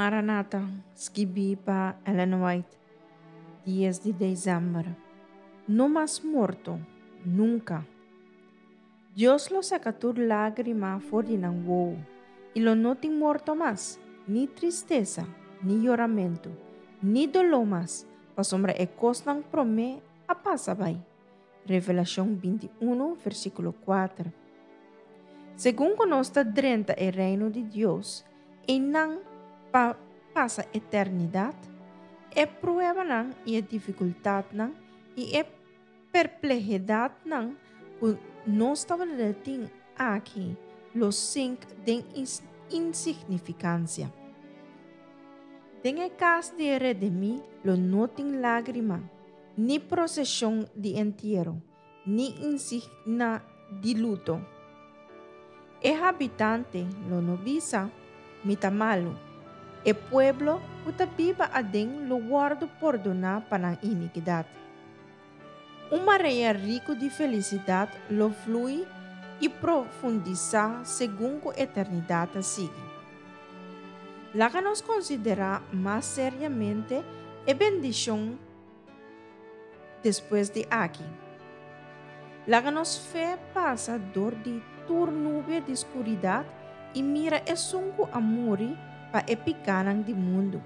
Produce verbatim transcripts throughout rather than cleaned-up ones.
Maranata, skibí pa Ellen White, dies di desèmber. No mas morto, nunka. Dios lo saka tur lágrima for di nan wowo, i lo no tin morto mas, ni tristesa, ni yoramentu, ni doló mas, pasobra e kosnan promé a pasa bai. Revelashon binti un, versíkulo kuater. Segun ku nos ta drenta e reino di Dios, einan pa pasa eternidat, e pruebanan i e difikultatnan i e perplehidatnan ku nos tabatin aki lo sink den insignifikansia. Den e kas di e redimí lo no tin lágrima, ni proseshon di entiero, ni insignia di luto. E habitante lo no bisa, Mi ta malu. E pueblo ku ta biba aden lo wòrdu pordoná pa nan inikidat. Un marea riku di felisidat lo flui i profundisá segun ku eternidat ta sigui. Laga nos konsiderá mas seriamente e bendishon despues di aki. Laga nos fe pasa dor di tur nubia di skuridat i mira esun ku a muri pa e pikánan di mundu.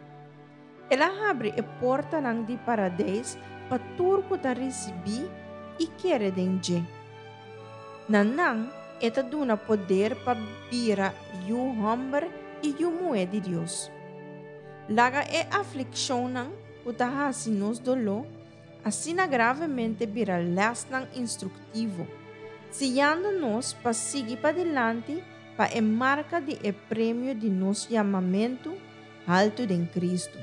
El a habri e portanan di Paradeis pa tur ku ta risibí i kere den dje. Na nan e ta duna poder pa bira yu hòmber i yu muhé di Dios. Laga e aflikshonnan ku ta hasi nos doló asina gravemente bira lèsnan instruktivo, siñando nos pa sigui padilanti pa e marka di e premio di nos yamamentu haltu den Kristu.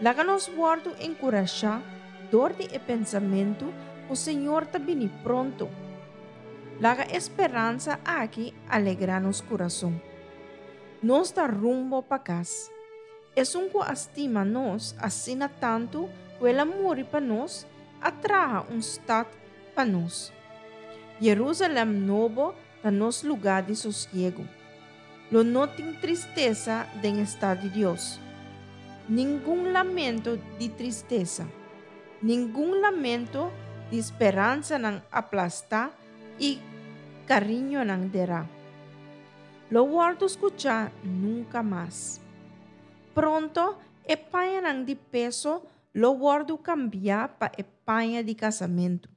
Laga nos wòrdu enkurashá dor di e pensamentu ku Señor ta bini pronto. Laga e speransa aki alegrá nos kurason. Nos ta rumbo pa kas. Esun ku a stima nos asina tantu ku el a muri pa nos, a traha un stat pa nos. Jerusalèm Nobo ta nos lugá di sosiegu. Lo no tin tristesa den e stat di Dios. Ningun lamento di tristesa. Ningun lamento di speransanan aplastá i kariñonan derá. Lo wòrdu skuchá nunka mas. Pronto e pañanan di peso lo wòrdu kambiá pa e paña di kasamentu.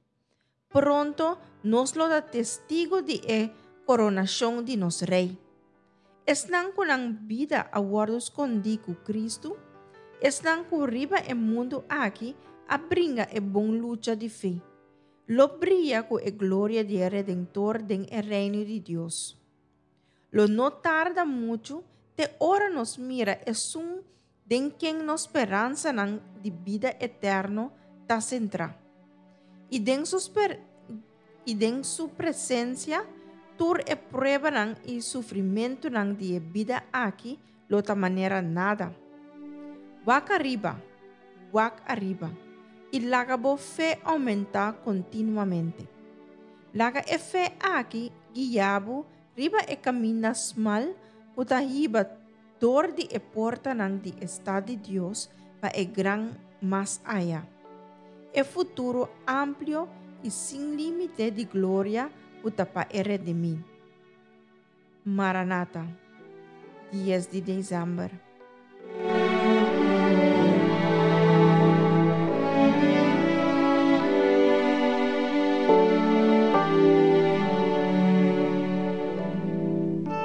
Pronto nos lo ta testigu di e koronashon di nos Rei. Esnan ku nan bida a wòrdu skondí ku Kristu, esnan ku riba e mundu aki a bringa e bon lucha di fe, lo bria ku e gloria di e Redentor den e reino di Dios. Lo no tarda muchu te ora nos mira esun den ken nos speransanan di bida eterno ta sentrá. I den su sper i den su presensia tur e pruebanan i sufrimentunan di e bida aki lo ta manera nada. Wak ariba, wak ariba, i laga bo fe oumentá kontinuamente. Laga e fe aki guia bo riba e kaminda smal ku ta hiba dor di e portanan di e stat di Dios pa e gran mas aya. E futuro amplio i sin límite di gloria ku ta pa e redimí. Maranata, dies di desèmber.